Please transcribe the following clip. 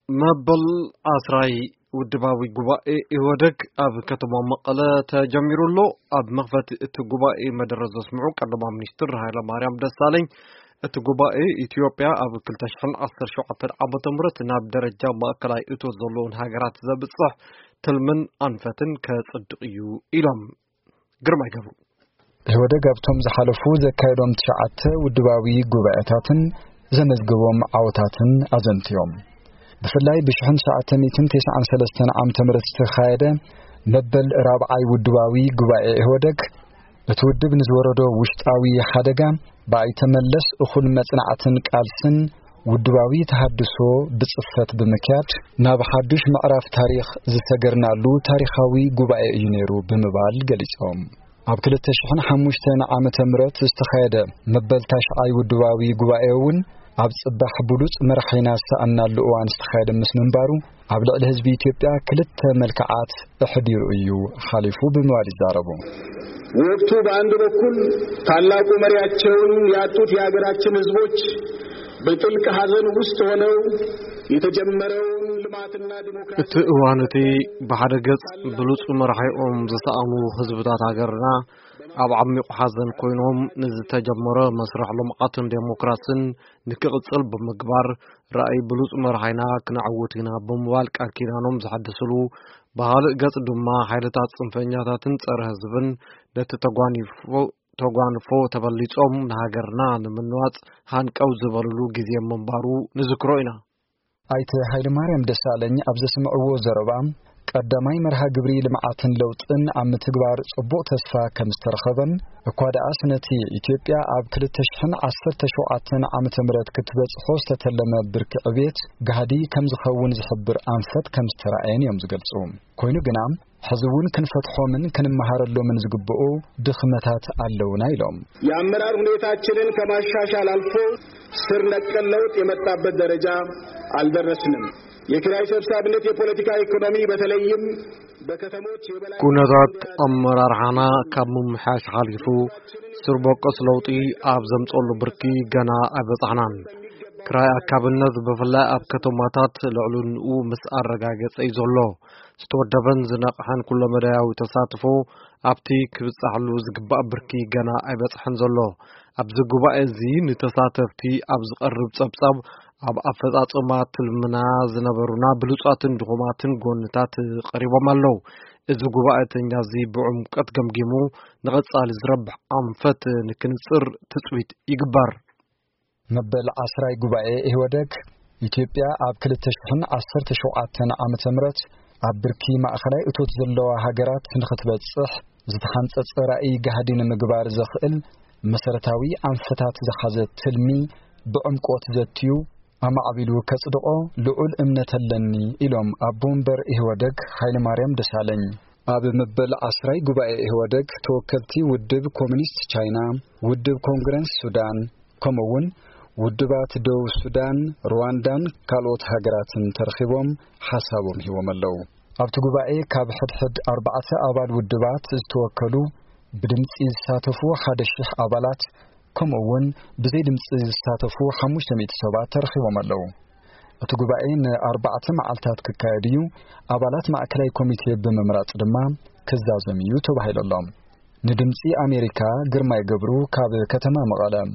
መበል ዓስራይ ውድባዊ ጉባኤ ኢህወደግ ኣብ ከተማ መቐለ ተጀሚሩ ኣሎ። ኣብ መኽፈቲ እቲ ጉባኤ መደረ ዘስምዑ ቀዳማይ ሚኒስትር ሃይለማርያም ደሳለኝ፣ እቲ ጉባኤ ኢትዮጵያ ኣብ ክልተ ሽሕን ዓሰርተ ሸውዓተን ዓመተ ምህረት ናብ ደረጃ ማእከላይ እቶት ዘለዎን ሃገራት ዘብጽሕ ትልምን ኣንፈትን ከጽድቕ እዩ ኢሎም። ግርማይ ገብሩ። ኢህወደግ ኣብቶም ዝሓለፉ ዘካየዶም ትሽዓተ ውድባዊ ጉባኤታትን ዘመዝገቦም ዓወታትን ኣዘንትዮም። ብፍላይ ብሽሕን ትሽዓተ ሚእትን ተስዓን ሰለስተን ዓመተ ምህረት ዝተኻየደ መበል ራብዓይ ውድባዊ ጉባኤ ኢህወደግ፣ እቲ ውድብ ንዝወረዶ ውሽጣዊ ሓደጋ ብኣይተ መለስ እኹል መጽናዕትን ቃልስን ውድባዊ ተሃድሶ ብጽፈት ብምክያድ፣ ናብ ሓዱሽ ምዕራፍ ታሪኽ ዝሰገርናሉ ታሪኻዊ ጉባኤ እዩ ነይሩ ብምባል ገሊጾም። ኣብ ክልተ ሽሕን ሓሙሽተን ዓመተ ምህረት ዝተኻየደ መበል ታሽዓይ ውድባዊ ጉባኤ እውን ኣብ ጽባሕ ብሉጽ መራሒና ዝሰኣናሉ እዋን ዝተኻየደ ምስ ምንባሩ፣ ኣብ ልዕሊ ህዝቢ ኢትዮጵያ ክልተ መልክዓት ኣሕዲሩ እዩ ሓሊፉ ብምባል ይዛረቡ። ወቅቱ በአንድ በኩል ታላቁ መሪያቸውን ያጡት የሀገራችን ህዝቦች በጥልቅ ሐዘን ውስጥ ሆነው የተጀመረውን ልማትና ዲሞክራሲ እቲ እዋን እቲ ብሓደ ገጽ ብሉጽ መራሒኦም ዝሰኣኑ ህዝብታት ሃገርና ኣብ ዓሚቕ ሓዘን ኮይኖም፣ ንዝተጀመረ መስርሕ ልምዓትን ዴሞክራስን ንክቕጽል ብምግባር፣ ራእይ ብሉጽ መራሒና ክነዕውት ኢና ብምባል ቃል ኪዳኖም ዘሐድስሉ፣ ብኻልእ ገጽ ድማ ሓይልታት ጽንፈኛታትን ጸረ ህዝብን ነቲ ተጓኒፎ ተጓንፎ ተበሊጾም ንሃገርና ንምንዋጽ ሃንቀው ዝበልሉ ግዜ ምንባሩ ንዝክሮ ኢና። ኣይተ ሃይለማርያም ደሳለኝ ኣብ ዘስምዕዎ ዘረባ፣ ቀዳማይ መርሃ ግብሪ ልምዓትን ለውጥን ኣብ ምትግባር ጽቡቕ ተስፋ ከም ዝተረኸበን፣ እኳ ደኣስ ነቲ ኢትዮጵያ ኣብ ክልተ ሽሕን ዓሰርተ ሸውዓተን ዓመተ ምህረት ክትበጽሖ ዝተተለመ ብርኪ ዕብየት ጋህዲ ከም ዝኸውን ዝሕብር ኣንፈት ከም ዝተራእየን እዮም ዝገልጹ። ኮይኑ ግና፣ ሕዚ እውን ክንፈትሖምን ክንመሃረሎምን ዝግብኡ ድኽመታት ኣለውና ኢሎም። የአመራር ሁኔታችንን ከማሻሻል አልፎ ስር ነቀል ለውጥ የመጣበት ደረጃ አልደረስንም። የኪራይ ሰብሳቢነት የፖለቲካ ኢኮኖሚ በተለይም በከተሞች የበላይ ኩነታት ኣመራርሓና ካብ ምምሕያሽ ሓሊፉ ስር በቆስ ለውጢ ኣብ ዘምጸሉ ብርኪ ገና ኣይበጻሕናን። ክራይ ኣካብነት ብፍላይ ኣብ ከተማታት ልዕልንኡ ምስ ኣረጋገጸ እዩ ዘሎ። ዝተወደበን ዝነቕሐን ኩለመዳያዊ ተሳትፎ ኣብቲ ክብጻሕሉ ዝግባእ ብርኪ ገና ኣይበጽሐን ዘሎ። ኣብዚ ጉባኤ እዚ ንተሳተፍቲ ኣብ ዝቐርብ ጸብጻብ ኣብ ኣፈጻጽማ ትልምና ዝነበሩና ብሉጻትን ድኹማትን ጎንታት ቀሪቦም ኣለዉ። እዚ ጉባኤተኛ እዚ ብዕምቀት ገምጊሙ ንቐጻሊ ዝረብሕ ኣንፈት ንክንጽር ትጽቢት ይግበር። መበል ዓስራይ ጉባኤ ኢህወደግ፣ ኢትዮጵያ ኣብ ክልተ ሽሕን ዓሰርተ ሸውዓተን ዓመተ ምህረት ኣብ ብርኪ ማእኸላይ እቶት ዘለዋ ሃገራት ንኽትበጽሕ ዝተሓንጸጸ ራእይ ጋህዲ ንምግባር ዘኽእል መሰረታዊ ኣንፈታት ዝሓዘ ትልሚ ብዕምቆት ዘትዩ ኣማዕቢሉ ከጽድቖ ልዑል እምነት ኣለኒ ኢሎም ኣቦ ወንበር ኢህወደግ ሃይለማርያም ደሳለኝ። ኣብ መበል ዓስራይ ጉባኤ ኢህወደግ ተወከልቲ ውድብ ኮሚኒስት ቻይና፣ ውድብ ኮንግረስ ሱዳን፣ ከምኡ እውን ውድባት ደቡብ ሱዳን፣ ሩዋንዳን ካልኦት ሃገራትን ተረኺቦም ሓሳቦም ሂቦም ኣለዉ። ኣብቲ ጉባኤ ካብ ሕድሕድ ኣርባዕተ ኣባል ውድባት ዝተወከሉ ብድምጺ ዝሳተፉ ሓደ ሽሕ ኣባላት፣ ከምኡ እውን ብዘይ ድምጺ ዝሳተፉ ሓሙሽተ ሚእቲ ሰባት ተረኺቦም ኣለዉ። እቲ ጉባኤ ንኣርባዕተ መዓልታት ክካየድ እዩ። ኣባላት ማእከላይ ኮሚቴ ብምምራጽ ድማ ክዛዘም እዩ ተባሂሉ ኣሎ። ንድምጺ ኣሜሪካ ግርማይ ገብሩ ካብ ከተማ መቐለ።